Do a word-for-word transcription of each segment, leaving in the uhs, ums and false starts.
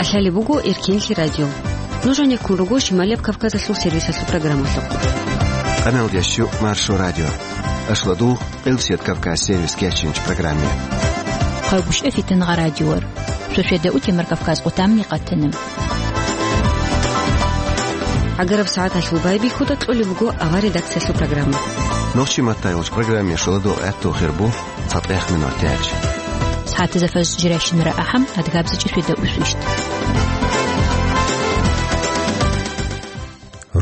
Лъалеб буго Эркенлъи радио. Нуж гьанеккун руго Шималияб Кавказалъул сервисалъул программалъухъ. Къаналдияс щу Маршо радио. Ашладул Къилсият Кавказ сервис кечинч программе. Хъайбушев Фитангъа радиор. Шошеда утемар Кавказ къутамни къатанам. ГӀагараб сагӀаталъул байбихьуда кьолеб буго авар редакциялъул программа. Нохчи маттайулч программе шоладо гӀатту хирбу. ЦатӀех минутач. СагӀатазда фаз жирайщинара ахӀам, адгабзичӀи шведа усвищт.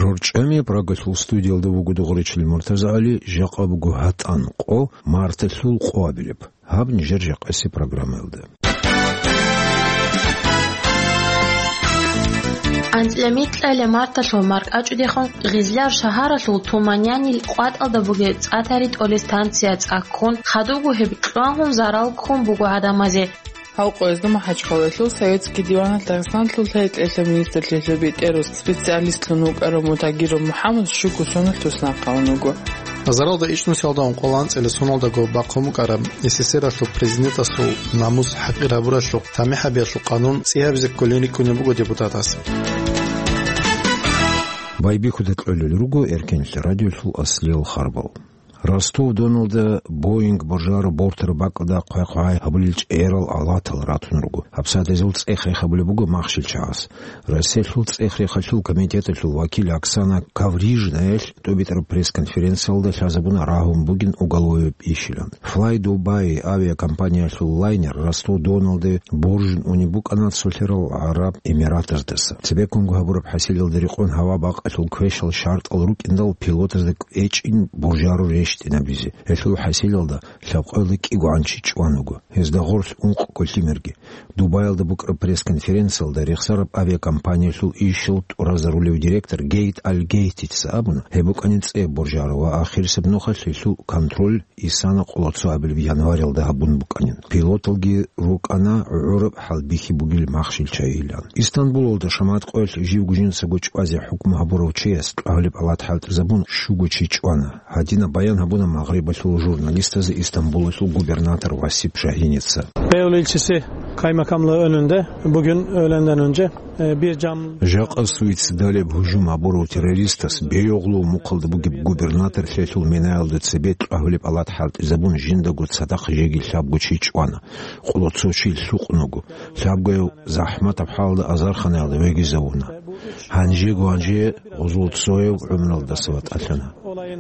РорчӀами Прагалъул студиялда вуго дугъричил МуртазагӀали, жакъа буго гьатӀан къо, марталъул къоабилеб. Гьаб нижер жакъаси программаялда. АнцӀила микьалъ марталъул маркӀачӀудехун Гъизляр шагьаралъул Туманянил къватӀалда бугеб цӀа тари тӀолеб станция цӀаккун, хадубго гьеб кьвагьун зарал ккун буго гӀадамазе. Гьав къоязда МахӀачхъалаялъул Советский диваналъ Дагъистаналъул лъай-кьешлъи министрлъиялъул бетӀерас специалистлъун вукӀарав Мутагиров МухӀаммад щуго соналъ туснахъ гьавун вуго. Заралда ичӀнусиялда ункъоялда анцӀила соналдаго бахъун букӀараб СССР-алъул президентасул намус хӀакъир гьабуралъухъ тамихӀ гьабиялъул къанун цӀи гьабизе кколин рикӀкӀунеб буго депутатас. Байбихьуда кьолел руго Эркенлъи радиолъул аслиял харбал. Ростов-Доналда Боинг боржараб бортараб бакӀалда хъвай-хъвай гьабулел чӀерал алатал ратун руго. ГьабсагӀат гьезул цӀех рехабулеб буго махщел чагӀаз. Россиялъул цӀех рехалъул комитеталъул вакил Оксана Коврижнаялъ тӀубитӀараб пресс-конференциялда лъазабуна рагьун бугин уголовый ишилан. Fly Dubai авиакомпаниялъул лайнер Ростов-Доналде боржун унеб букӀана Цолъарал ГӀараб Эмиратаздаса. Цебеккунго гьабураб хӀасилалда рекъон гьава бакъалъул квешал шартӀал рукӀиндал пилотазда кӀвечӀин боржаро рещтӀинабизе. Гьелъул хӀасилалда лъабкъоялда кӀигогӀан чи чӀван вуго. Гьезда гъорлъ ункъ кколъимерги. Дубаялда букӀараб пресс-конференциялда рехсараб авиакомпаниялъул ишал тӀуразарулев директор Гейт Аль-Гейтица абуна, гьеб букӀанин цӀе боржаро ва ахирисеб нухалъ гьелъул контроль исана къоло цо абилеб январалда гьабун букӀанин. Пилоталги рукӀана гӀураб хӀалбихьи бугел махщел чагӀилан. Истанбулалда шамат къоялъ живго жинцаго чӀвазе хӀукму гьабурав чияс тӀагьулеб алат хӀалтӀизабун щуго чи чӀвана. Гьадинаб баян гьабуна Магърибалъул журналистазе Истанбулалъул губернатор Васип Шагьиница. Beyoğlu ilçesi kaymakamlığı önünde bugün öğlenden önce, e, bir cam... Жакъа суицидалеб гьужум гьабурав террористас Бейогълу мухъалда бугеб губернаторлъиялъул минаялда цебе тӀагьулеб алат хӀалтӀизабун жиндаго цадахъ жеги лъабго чи чӀвана. Къоло цо чи лъукъун вуго. Лъабгояв захӀматаб хӀалалда азарханаялда вегизавуна. Гьанжего гьанже гъозул цояв гӀумралдаса ватӀалъана.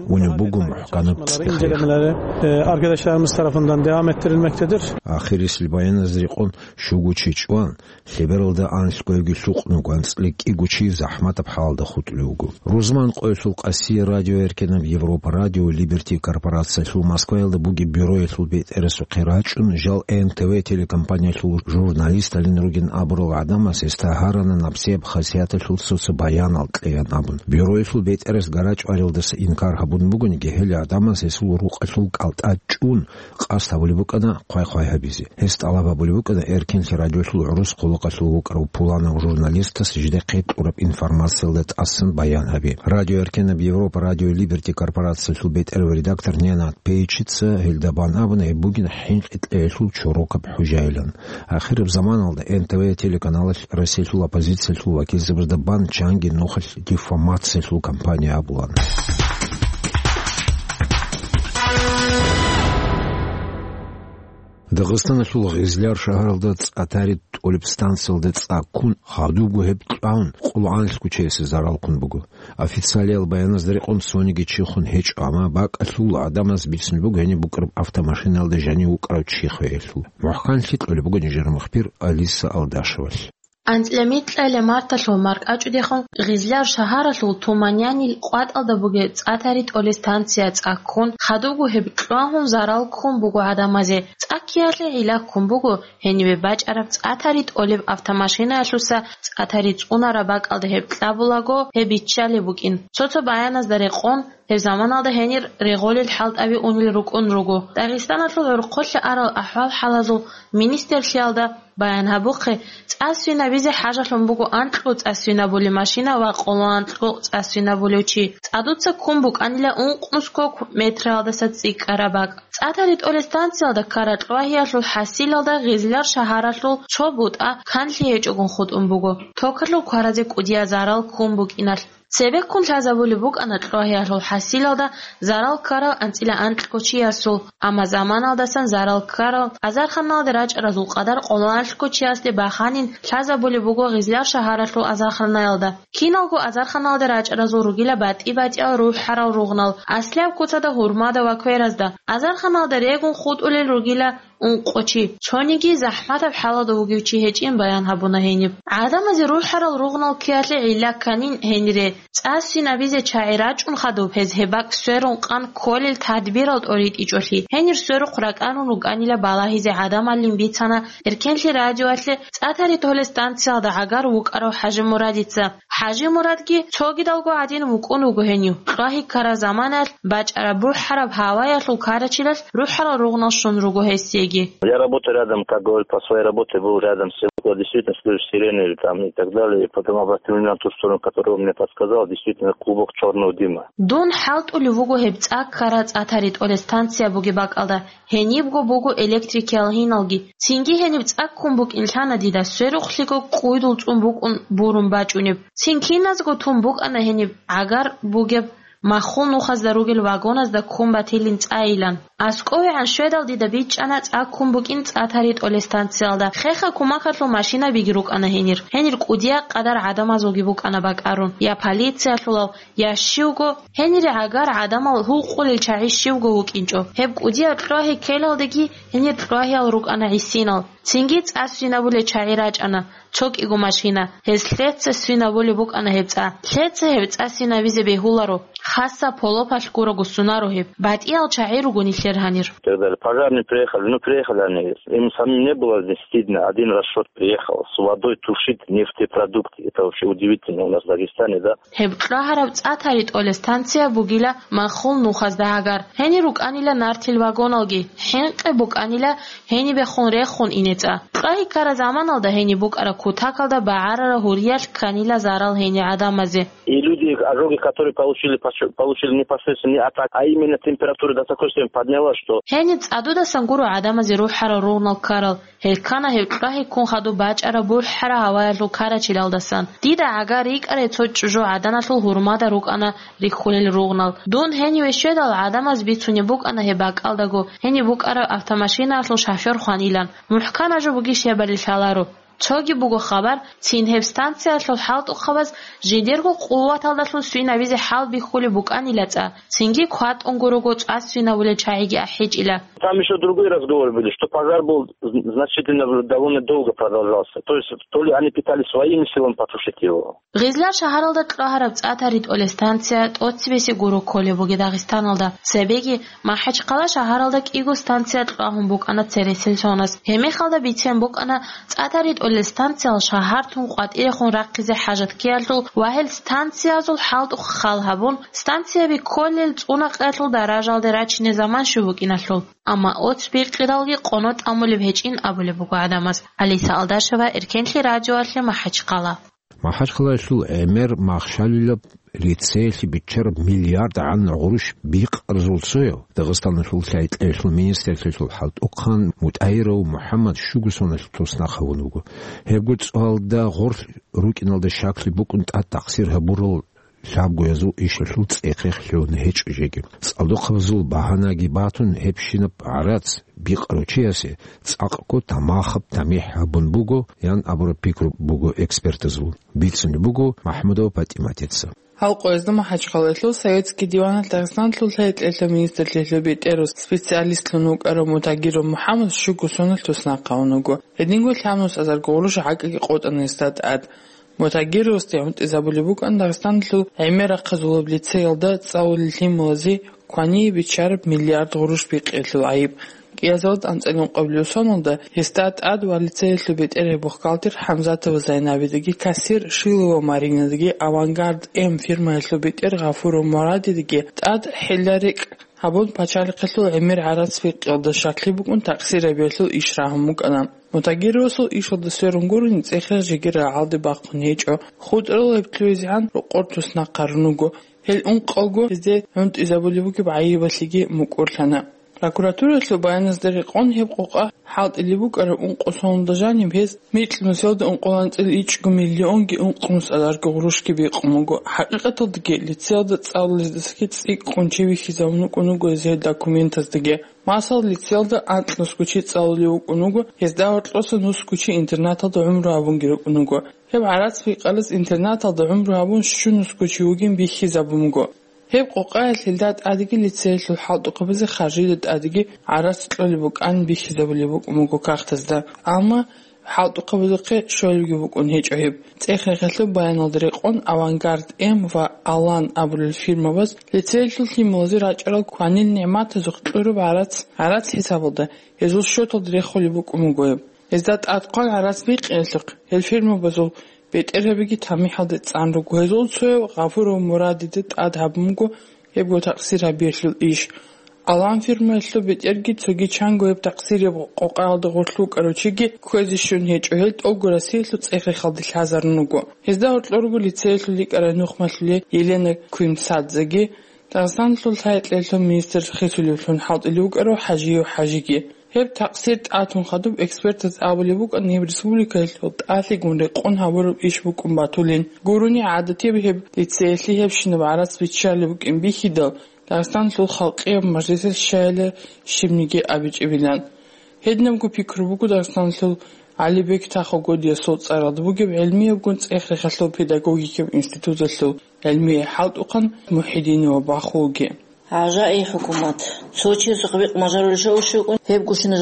Унеб буго мухӀканаб цӀехех. İncelemeleri, e, arkadaşlarımız tarafından devam ettirilmektedir. Ахирисел баяназда рекъон щуго чи чӀван, лъебералда анлъгоявги лъукъун вуго, анцӀила кӀиго чи захӀматаб хӀалалда хутӀулев вуго. Рузман къоялъул къасие радио Эркенаб Европа, радио Либерти корпорациялъул Москваялда бугеб бюроялъул бетӀерасухъе рачӀун, жал Н Т В телекомпаниялъул журналисталин ругин абурал гӀадамас гьесда гьарана набсияб хасияталъул цо-цо баянал кьеян абун. Бюроялъул бетӀерас гарачӀваралдаса инкар гьабун бугониги, гьел гӀадамас гьесул рукъалъул кӀалтӀа чӀун, къасд гьабулеб букӀана хъвай-хъвай гьабизе. Гьес тӀалаб гьабулеб букӀана Эркенлъи радиолъул гӀурус хъулухъалъув вукӀарав пуланав журналистас жидехъе кьураб информациялда тӀасан баян гьабе. Радио Эркенаб Европа, радио Либерти корпорациялъул бетӀерав редактор Ненад Пейчица гьелда бан абуна, гьеб бугин хӀинкъи кьеялъул чорокаб хӀужайилан. Ахираб заманалда Н Т В телеканалалъ Россиялъул оппозициялъул вакилзабазда бан чанги нухалъ диффамациялъул кампания абулан. Дагъистаналъул Гъизляр шагьаралда цӀа тари тӀолеб станциялда цӀа ккун, хадубго гьеб кьвагьун, къулгӀанлъго чиясе зарал ккун буго. Официалиял баяназда рекъон цониги чи хун гьечӀо, амма бакӀалъул гӀадамаз бицун буго гьениб букӀараб автомашинаялда жанив вукӀарав чи хвеялъул. МухӀканлъи кьолеб буго нижер мухбир Алиса Алдашевалъ. АнцӀила микьалъ марталъул маркӀачӀудехун Гъизляр шагьаралъул Туманянил къватӀалда бугеб цӀа тари тӀолеб станция цӀа ккун, хадубго гьеб кьвагьун зарал ккун буго гӀадамазе. ЦӀа ккеялъе гӀилла ккун буго гьенибе бачӀараб цӀа тари тӀолеб автомашинаялъуса цӀа тари цӀунараб бакӀалда гьеб кьабулаго, гьеб биччалеб букӀин. Цо-цо баяназда рекъон, гьеб заманалда гьенир регъолел хӀалтӀаби унел рукӀун руго. Дагъистаналъул гӀурхъулъа арал ахӀвал-хӀалазул министрлъиялда Баян гьабухъе, цӀа свинабизе хӀажалъун буго анкьго цӀа свинабулев машина ва къоло анкьго цӀа свинабулев чи. ЦӀадуца ккун букӀанила ункънусго метралдаса цӀикӀкӀараб бакӀ. ЦӀа таритӀолеб станциялда ккараб кьвагьиялъул хӀасилалда Гъизлияр шагьаралъул цо бутӀа канлъи гьечӀогун хутӀун буго, токалъул кваразе кӀудияб зарал ккун букӀиналъ. Цебеккун лъазабулеб букӀана кьвагьиялъул хӀасилалда зарал ккарал анцӀила анкьго чиясул, амма заманалдасан зарал ккарал азарханалде рачӀаразул къадар къоло анкьго чиясде баханин лъазабулеб буго Гъизлияр шагьаралъул азарханаялда. Киналго азарханалде рачӀаразул ругила батӀи-батӀиял рухӀарал ругънал, аслияб куцалда гьурмада ва кверазда. Азарханалда регун хутӀулел ругила ункъо чи, цониги захӀматаб хӀалалда вугев чи гьечӀин баян гьабуна гьениб. ГӀадамазе рухӀарал ругънал ккеялъе гӀилла кканин гьенире. ЦӀа свинабизе чагӀи рачӀун хадуб гьез гьеб бакӀ сверун къан кколел тадбирал тӀоритӀичӀолъи. Гьенир сверухъ ракӀарун рукӀанила балагьизе гӀадамалин бицана Эркенлъи радиоялъе цӀа таритӀолеб станциялда гӀагар вукӀарав ХӀажимурадица. ХӀажимурадги цогидалго гӀадин вукӀун вуго гьенив. Кьвагьи ккараб заманаялъ бачӀараб бухӀараб гьаваялъул ккарачилалъ рухӀарал ругънал щун руго гьесиеги. Я работаю рядом, как говорят, по своей работе был рядом с селом. Действительно, слышу сирены там и так далее. И потом обратил внимание на ту сторону, которую он мне подсказал. Действительно, клубок черного дыма. Дун хӀалтӀулев вуго гьеб цӀа ккараб цӀа таритӀолеб станция бугеб бакӀалда. Гьенибго буго электрикиял гьиналги. Цинги гьениб цӀа ккун букӀин лъана дида, сверухълъиго кӀуйдул цӀун букӀун бурун бачӀунеб. Цин киназго тун букӀана гьениб гӀагар бугеб маххул нухазда ругел вагоназда ккун батилин цӀайилан. АскӀовегӀан щведал дида бичӀчӀана цӀа ккун букӀин цӀа таритӀолеб станциялда. Хеха кумакалъул машинабиги рукӀана гьенир. Гьенир кӀудияб къадар гӀадамазулги букӀана бакӀарун, я полициялъулал, я щивго, гьенире гӀагар гӀадамал гьукъулел чагӀи щивго вукӀинчӀо. Гьеб кӀудияб кьвагьи ккелалдеги гьенир кьвагьиял рукӀана гӀисинал. Цинги цӀа свинабулел чагӀи рачӀана, цо кӀиго машина. Гьез лъеца свинабулеб букӀана гьеб цӀа. Лъеца гьеб цӀа свинабизе бегьуларо, хасаб полопалъ гурого сунаро гьеб. БатӀиял чагӀи руго нилъер гьанир. И так далее. Пожарные приехали, ну, приехали они. Им самим не было здесь стыдно. Один расчет приехал с водой тушить нефтепродукты. Это вообще удивительно у нас в Дагестане, да? Гьеб кьвагьараб цӀа таритӀолеб станция бугила маххул нухазда гӀагар. Гьенир рукӀанила нартил вагоналги, хӀинкъи букӀанила гьенибехун рехун ине цӀа. Кьвагьи ккараб заманалда гьениб букӀараб кутакалда багӀарараб гьуриялъ кканила зарал гьенир гӀадамазе. И люди, ожоги, которые получили, поч-, получили не посредственно не от, а именно температуры до такой степени поднялась, что... Гьениб цӀадудасан гуро гӀадамазе рухӀарал ругънал ккарал. Гьел ккана гьеб кьвагьи ккун хадуб бачӀараб бухӀараб гьаваялъул ккарачилалдасан. Дида гӀагар рикӀкӀарай цо чӀужу гӀаданалъул гьурмада рукӀана рихьулел ругънал. Дун гьениве щведал гӀадамаз бицунеб букӀана гьеб бакӀалдаго, гьениб букӀараб автомашинаялъул шофер хванилан. МухӀкан гьажу бугищ гьебали лъаларо. Цоги буго хабар, цин гьеб станциялъул хӀалтӀухъабаз жидерго къуваталдалъун свинабизе хӀалбихьулеб букӀанила цӀа, цинги кватӀунго руго цӀа свинабулел чагӀиги ахӀичӀила. Там ещё другой разговор были, что пожар был зн-, значительно в-, довольно долго продолжался. То есть то ли они пытались своими силами потушить его. Гъизлияр шагьаралда кьвагьараб цӀа таритӀолеб станция тӀоцебесеб гуро кколеб буго Дагъистаналда. Цебеги МахӀачхъала шагьаралда кӀиго станция кьвагьун букӀана цересел соназ. Гьеб мехалда бицен букӀана цӀа таритӀолел станциял шагьар тун къватӀирехун рахъизе хӀажат ккеялъул ва гьел станциязул хӀалтӀухъ хал гьабун, станцияби кколел цӀунакъиялъул даражалде рачине заман щун букӀиналъул. Амма оц бикъидалги къоно тӀамулеб гьечӀин абулеб буго гӀадамаз. Алиса Алдашева, Эркенлъи радиоялъе, МахӀачхъала. МахӀачхъалаялъул гӀемер махщалилаб лицеялъе биччараб миллиард гӀан гъурущ бикъарзул цояв Дагъистаналъул лъай-кьеялъул министрлъиялъул хӀалтӀухъан МутӀагьиров МухӀаммад щуго соналъ туснахъ гьавун вуго. Гьебго цоялда гъорлъ рукӀиналда щаклъи букӀун тӀад такъсир гьабурал лъабгоязул ишалъул цӀехех лъугьун гьечӀо жеги. ЦӀалдохъабазул багьанаги батун гьебщинаб гӀарац бикъарав чиясе цӀакъго тамахаб тамихӀ гьабун буго, ян абураб пикру буго экспертазул. Бицунеб буго МахӀмудова ПатӀиматица. Гьал къоязда МахӀачхъалаялъул Советский диваналъ Дагъистаналъул лъай-кьеялъул министрлъиялъул бетӀерав специалистлъун вукӀарав МутӀагьиров МухӀаммад щуго соналъ туснахъ гьавун вуго. Гьединго лъабнусазарго гъурущ гӀакӀги къотӀана гьесда тӀад. МутӀагьировасде гӀунтӀизабулеб букӀана Дагъистаналъул гӀемер рахъазулаб лицеялда цӀалулел лъималазе квание биччараб миллиард гъурущ бикъиялъул гӀайиб. КӀиазалда анцӀила ункъабилеб соналда гьесда тӀад ва лицеялъул бетӀергьаб бухгалтер ХӀамзатова Зайнабидаги кассир Шилова Маринадаги «Авангард М» фирмаялъул бетӀер Гъафуров Мурадидаги тӀад хӀилла-рекӀкӀ гьабун, пачалихъалъул гӀемер гӀарац бикъиялда щаклъи букӀун такъсир гьабиялъул иш рагьун букӀана. Мутагьировасул ишалда сверун гурони, цӀехе жеги рагӀалде бахъун гьечӀо. ХутӀарал гьеб лъугӀизегӀан рокъор туснахъ гьарун руго. Гьел ункъалго гьезде гӀунтӀизабулеб бугеб гӀайибалъиги мукӀурлъана. Прокуратуралъул баяназда рекъон, гьеб къокъа хӀалтӀилеб букӀараб ункъо соналда жаниб гьез микьнусиялда ункъоялда анцӀила ичӀго миллионги ункънус азарго гъурущги бикъун буго. ХӀакъикъаталдаги лицеялда цӀалулездасаги цӀикӀкӀун чи вихьизабун вукӀун вуго гьез гьел документаздаги. Масала, лицеялда анкьнусго чи цӀалулев вукӀун вуго, гьезда гьоркьоса нусго чи интернаталда гӀумру гьабунги рукӀун вуго. Гьеб гӀарац бикъараз интернаталда гӀумру гьабун щунусго чи вугин бихьизабун буго. Гьеб къокъаялъ гьелда тӀадеги лицеялъул хӀалтӀухъабазе харжида тӀадеги гӀарац кьолеб букӀан бихьизабулеб букӀун буго кагътазда. Амма хӀалтӀухъабазухъе щолебги букӀун гьечӀо гьеб. ЦӀех-рехалъул баяналда рекъон, «Авангард М» ва «Алан» абулел фирмабаз лицеялъул лъималазе рачӀарал кванил нигӀматазухъ кьураб гӀарац, гӀарац хӀисабалда, гьезул счеталда рехулеб букӀун буго гьеб. Гьезда тӀадхъван гӀарац бикъиялъухъ, гьел фирмабазул бетӀергьабиги тамихӀалде цӀан руго. Гьезул цояв Гъафуров Мурадида тӀад гьабун буго гьебго такъсир гьабиялъул иш. «Алан» фирмаялъул бетӀерги цоги чанго гьеб такъсирияб къокъаялда гъорлъ вукӀарав чиги кквезе щун гьечӀо, гьел тӀолго Россиялъул цӀех-рехалде лъазарун руго. Гьезда гьоркьор руго лицеялъул рикӀкӀарай нухмалъулей Елена Куимсадзеги, Дагъистаналъул лъай-кьеялъул министр хисулевлъун хӀалтӀулев вукӀарав ХӀажиев ХӀажиги. Гьеб такъсир тӀатун хадуб экспертаз абулеб букӀана, гьеб республикаялъул тӀалъигун рекъон гьабураб иш букӀун батулин. Гурони гӀадатияб гьеб лицеялъе гьебщинаб гӀарац биччалеб букӀин бихьидал, Дагъистаналъул халкъияб мажлисалъ щайила щибниги абичӀебилан. Гьединабго пикру буго Дагъистаналъул ГӀалибек Тахо-Годиясул цӀаралда бугеб гӀелмиябгун цӀех-рехалъул педагогикаб институталъул гӀелмияй хӀалтӀухъан Мухьидинова Бахулги. ГӀажаи хӀукумат. Цо чиясухъ бикъ мажарулел шавшукӀун, гьеб гущина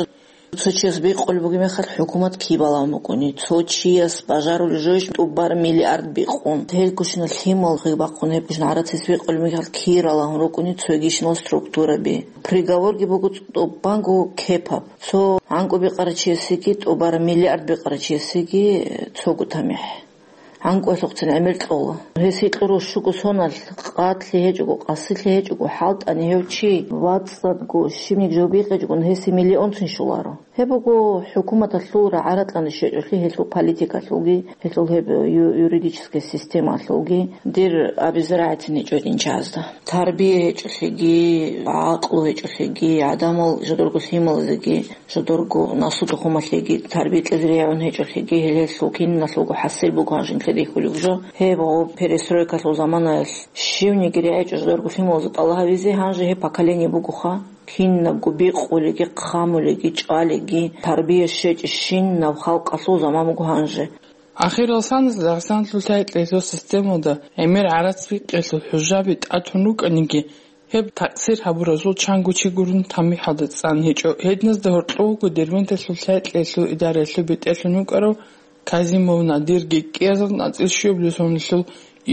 цо чияс бикъулеб бугеб мехалъ, хӀукумат кибалан букӀуни, цо чияс бажарулел жойищ тӀубар миллиард бикъун. Гьел гущина лъимал гъиб бахъун, гьеб гущина гӀарацис бикъулеб мехалъ киралан рукӀуни цойгищинал структураби. Приговорги буго тӀубанго кепаб. Цо гӀанкӀу бикъарачиясеги тӀубар миллиард бикъарачиясеги цого тамихӀ. ГӀанкӀуялъухъцин гӀемер кьола. Гьес гьикьуро щуго соналъ, къадлъи гьечӀого, къасилъи гьечӀого, хӀалтӀани гьев чи вацӀцӀадго щибниги жо бикъичӀогун, гьесие миллионцин щоларо. Гьеб буго хӀукуматалъул рагӀа-ракьалде щвечӀолъи, гьелъул политикалъулги, гьелъул гьеб ю-, юридический системалъулги, дир абизе рагӀицин гьечӀо динчазда. Тарбия гьечӀолъиги, гӀакълу гьечӀолъиги, гӀадамал жодорго лъималазеги, жодорго наслу-тухумалъеги тарбия кьезе регӀун гьечӀолъиги, гьелъул киналъулго хӀасил буго гьанжин ккедихьулеб жо. Гьеб гъоб перестройкалъул заманаялъ щивниги регӀичӀо жодорго лъималазда тӀалаб гьабизе, гьанже гьеб поколение бугоха, кинабго бикъулеги, хъамулеги, чӀвалеги, тарбия щвечӀищинаб халкъалъул заман буго гьанже. Ахиралсанас Дагъистаналъул лъай-кьеялъул системалда гӀемер гӀарац бикъиялъул хӀужаби тӀатун рукӀаниги, гьеб такъсир гьабуразул чанго чи гурун тамихӀалда цӀан гьечӀо. Гьединазда гьоркьов вуго Дербенталъул лъай-кьеялъул идараялъул бетӀерлъун вукӀарав Казимов Надирги. КӀиазда анцӀила щуабилеб соналъул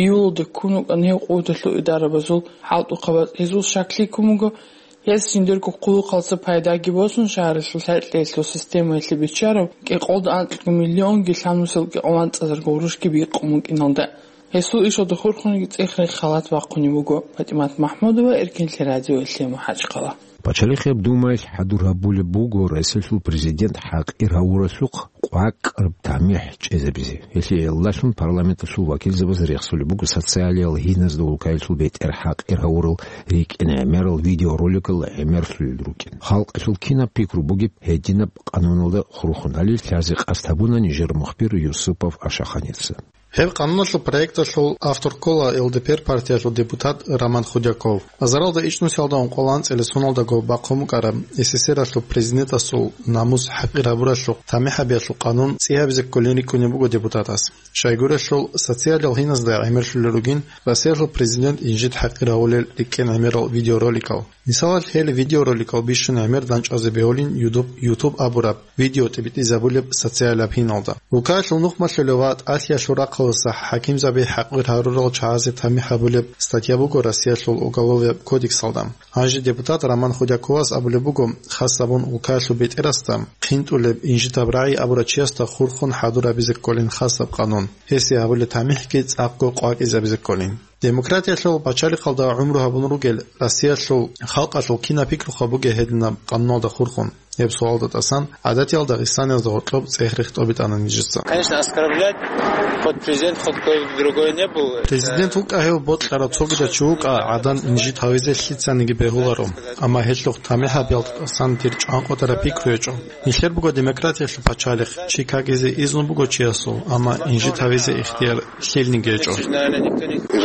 июлалда ккун вукӀана гьев къуваталъул идарабазул хӀалтӀухъабаз. Гьезул щаклъи ккун буго, гьес жиндирго хъулухъалъа пайдаги босун, шагьаралъул лъай-кьеялъул системаялъе биччараб кӀикъоялда анкьго миллионги лъабнусиялда кӀикъоялда анцӀазарго гъурущги бикъун букӀиналда. Гьесул ишалда хурхунги цӀех-рех халат бахъунеб буго. ПатӀимат МахӀмудова, Эркинлъи радио, Лъиму МахӀачхъала. Пачалихъияб Думаялъ хӀадур гьабулеб буго Россиялъул президент хӀакъир гьавуралъухъ къвакӀаб тамихӀ чӀезабизе. Гьелъие гӀолалъун парламенталъул вакилзабаз рехсулеб буго социалиял гьиназда улкаялъул бетӀер хӀакъир гьавурал рикӀкӀин гӀемерал видеороликал гӀемерлъулел рукӀин. Халкъалъул кинаб пикру бугеб гьединаб къануналда хурхунали лъазе къасд гьабуна нижер мухбир Юсупов Ашаханица. Гьеб къануналъул проекталъул автор ккола ЛДПР партиялъул депутат Роман Худяков. Азаралда ичӀнусиялда ункъоялда анцӀила соналдаго бахъун букӀараб СССР-алъул президентасул намус хӀакъир гьабуралъухъ тамихӀ гьабиялъул къанун цӀи гьабизе кколин рикӀкӀунеб буго депутатас. Щайгурелъул, социалиял гьиназда гӀемерлъулел ругин Россиялъул президент инжит хӀакъир гьавулел рикӀкӀин гӀемерал видеороликал. Мисалалъ, гьел видеороликал бищун гӀемер дандчӀвазе бегьулин YouTube, YouTube абураб видеотӀибитӀизабулеб социалияб гьиналда. Улкаялъул нухмалъулев ва тӀалъиялъул рахъалдаса хӀакимзаби хӀакъир гьарурал чагӀазе тамихӀ гьабулеб статья буго Россиялъул Уголовияб кодексалда. Гьанже депутат Роман Худяковас абулеб буго, хасабун улкаялъул бетӀерасда, хъинтӀулеб инжитаб рагӀи абурав чиясда хурхун хӀадур гьабизе кколин хасаб къанун. Гьесие гьабулеб тамихӀги цӀакъго къвакӀизабизе кколин. Демократиялъул пачалихъалда гӀумру гьабун ругел Россиялъул халкъалъул кинаб пикруха бугеб гьединаб къануналда хурхун? Гьеб суалда тӀасан гӀадатиял дагъистаниязда гъоркьоб цӀех-рех тӀобитӀана нижеца. Конечно, оскорблять хоть президент, хоть кто-то другой не был. Президент вукӀа гьев, бокьарав цогидав чи вукӀа, гӀадан инжит гьавизе лъицаниги бегьуларо. Амма гьелъухъ тамихӀ гьабиялда тӀасан дир чӀванкъотараб пикру гьечӀо. Нилъер буго демократиялъул пачалихъ, чи какизе изну буго чиясул, амма инжит гьавизе ихтияр лъилниги гьечӀо.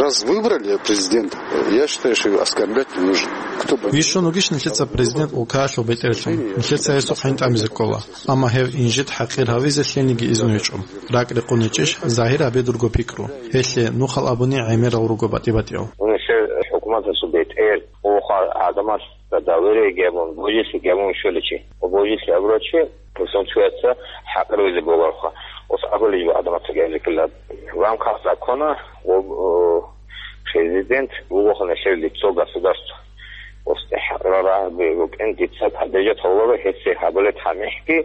Раз выбрали президента, я считаю, что его оскорблять не нужно. Кто бы... Вищун вугищ нилъеца президент улкаялъул бетӀерлъун, нилъеца гьесухъ хӀинтӀамизе ккола, амма гьев инжит хӀакъир гьавизе лъилниги изну гьечӀо. РакӀ рекъон гьечӀищ загьир гьабе дурго пикру? Гьелъе нухал абуни гӀемерал руго батӀи-батӀиял. Нилъер хӀукуматалъул бетӀер, гьеб гӀадамал доверие гьабун, божилъи гьабун щоличи. Божилъи абурав чи, гьесул чияца хӀакъир гьавизе бегьуларо. Ос абулеб жо гӀадамаца гьабизе ккола. В рамках закона ва, э, президент вуго нилъер лицо государства. Ос хӀакъирал рагӀаби рукӀин дица поддержать гьавуларо, гьесие гьабулеб тамихӀги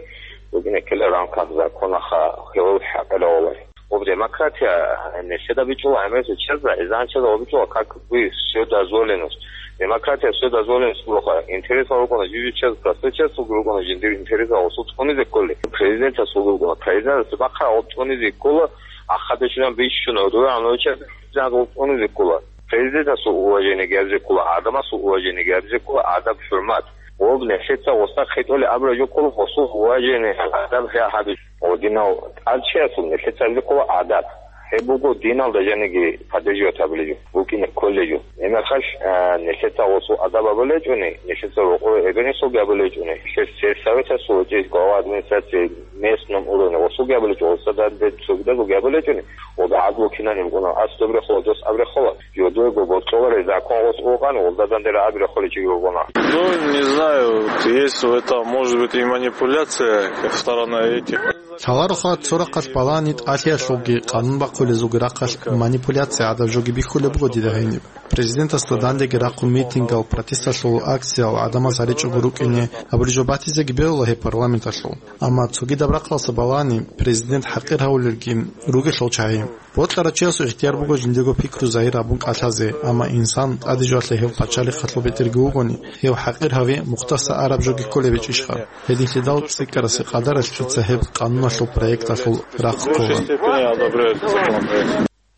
букӀине ккела в рамках закона, ха-, гьев хӀакъир гьавуларо. Об демократия, э, нилъеда бичӀчӀула гӀемерисел чиясда, изан чиясда об бичӀчӀула, как бы, вседозволенность. Демократия вседозволенность буго. Интересал рукӀуна жив-жив чияс, простой чиясулги рукӀуна жиндир интересал гьесул цӀунизе кколел. Президентасулги рукӀуна. Президентас бахъараб гьеб цӀунизе ккола, ахадешилан бищун, гьудуян гьечӀеб президент гьеб цӀунизе ккола. Президентасул уважение гьабизе ккола, гӀадамасул уважение гьабизе ккола, адаб-хӀурмат. Об нилъеца гьесда хитӀулеб абураб жо ккола, гьесул уважение, адаб гьабизе. О, динал тӀадчиясул нилъеца гьабизе ккола адаб. Гьеб буго диналда жаниги поддерживать гьабулеб жо, букӀине кколеб жо. Гьеб мехалъ, а, нилъеца гьесул адаб гьабулеб гьечӀони, нилъеца рокъор эбел-инсулги гьабулеб гьечӀони, нилъер сельсоветалъул гьечӀеб глава администрации местном уровне гьесулги гьабулеб гьечӀо, гьесда данде цогидазулги гьабулеб гьечӀони, ва гӀадлу кинаб букӀуна, ас доб рехула, дос аб рехула. Жодуего бокьулареб закон гьес букӀана, гьелда данде рагӀаби рехулев чиги вугони. Ну, не знаю, есть в этом, может быть, и манипуляция со стороны этих. Лъалароха, цо рахъалъ балагьани тӀалъиялъулги къанун бахъулезулги рахъалъ манипуляция гӀадаб жоги бихьулеб буго дида гьениб. Президентасда дандеги рахъун митингал, протесталъул акциял гӀадамаз гьаричӀого рукӀине абулеб жо батизеги бегьула гьеб парламенталъул. Амма цогидаб рахъалъа балагьани президент хӀакъир гьавулелги ругелъул чагӀи. Бокьарав чиясул ихтияр буго жиндирго пикру загьир гьабун кӀалъазе, амма инсан тӀаде жоялъе гьев пачалихъалъул бетӀерги вугони, гьев хӀакъир гьави мухтаса араб жоги кколеб гьечӀищха? Гьединлъидал цӀикӀкӀарасе къадаралъ дица гьеб къануналъул проекталъул рахъ ккола.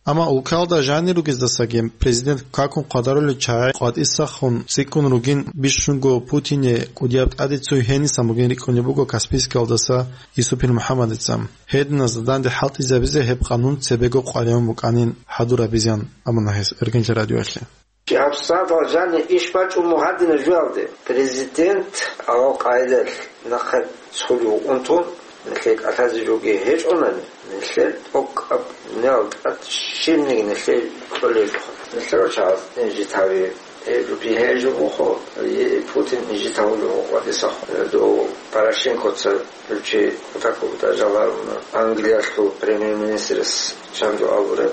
Амма улкалда жанир ругездасаги президент какун къадарулел чагӀи къватӀисахун цӀикӀкӀун ругин бищунго Путине кӀудияб тӀаде цо гьенисан бугин рикӀкӀунеб буго Каспийскиялдаса Исупил МухӀаммадица. Гьединазда данде хӀалтӀизабизе гьеб къанун цебего къваригӀун букӀанин хӀадурабизеян абуна гьес Эркенлъи радиоялъе. ГьабсагӀатал жанир иш бачӀун буго гьадинаб жоялде: президент авал къайдалъ нахъе цолев вукӀун тун, нилъее кӀалъазе жоги гьечӀонани, нилъер тӀокӀаб дуниялалда тӀад щибниги нилъее кьолеб жо. Нилъер чагӀаз инжит гьави, э, жуги гьечӀо буго, э, Путин инжит гьавулев вукӀа дица, э, дов Порошенкоца. Гьев чи кутакаб дажаларуна Англиялъул премьер-министрас чанго абураб.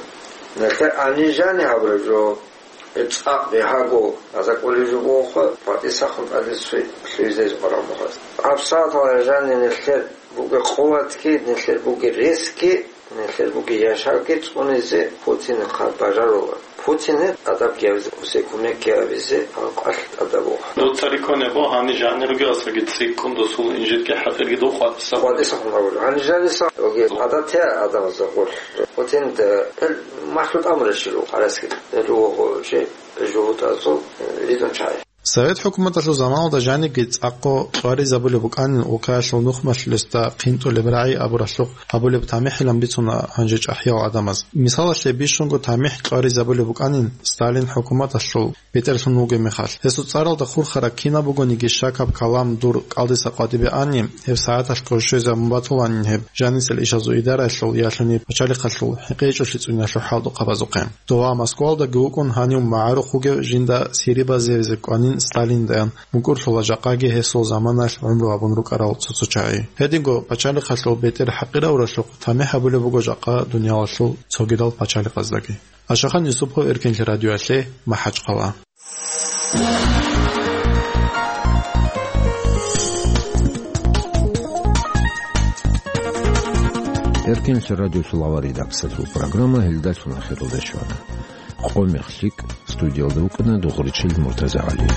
Нилъер гьанир жаниб гьабураб жо, цӀакъ бигьаго гьазда кӀолеб жо бугоха, къватӀисахун тӀаде цо лъугьизе къваригӀун буго гьаз. ГьабсагӀатал жанир нилъер бугеб къуватги, нилъер бугеб ресги, нилъер бугеб яшавги цӀунизе Путинихъа бажарула. Путине адаб гьабизе, гьесие кумекги гьабизе гьанкъалъ тӀадаб буго. Дуца рикӀкӀунеб буго, гьанир жанир ругеласаги цӀикӀкӀун досул инжитги хӀакъирги дов къватӀиса. КъватӀисахун абулеб. Гьанир жаниса, оги гӀадатиял гӀадамазда гъорлъ. Путинда гьел махлукъ амурав чи руго, гьараски. Гьел руго чи жугьутӀазул ризун чагӀи. Совет хӀукуматалъул заманалда жанибги цӀакъго кьваризабулеб букӀанин улкаялъул нухмалъулесда хъинтӀулеб рагӀи абуралъухъ гьабулеб тамихӀилан бицуна гьанже чӀахӀиял гӀадамаз. Мисалалъе, бищунго тамихӀ кьваризабулеб букӀанин Сталин хӀукуматалъул бетӀерлъун вугеб мехалъ. Гьесул цӀаралда хурхарал кинаб бугониги щакаб калам дур кӀалдиса къватӀибе ани, гьеб сагӀаталъго щвезабун батуланин гьеб жанисел ишазул идараялъул ялъуни пачалихъалъул хӀинкъичӀолъи цӀуниялъул хӀалтӀухъабазухъе. Дова Москвалдаги вукӀун гьанив магӀарухъ вугев жинда сири базаризабизе кӀванин Сталиндаян, мукӀурлъула жакъаги гьесул заманаялъ гӀумру гьабун рукӀарал цо-цо чагӀи. Гьединго пачалихъалъул бетӀер хӀакъирабуралъухъ тамихӀ гьабулеб буго жакъа дуниялалъул цогидал пачалихъаздаги. Ашахан Юсупов, Эркенлъи радиоялъе, МахӀачхъала. Эркенлъи радиоялъул аварагасул программа гьелдалъун ахиралде щвана. Къо мех лъикӀ, студиялда вукӀана Дугъричил МуртазагӀали.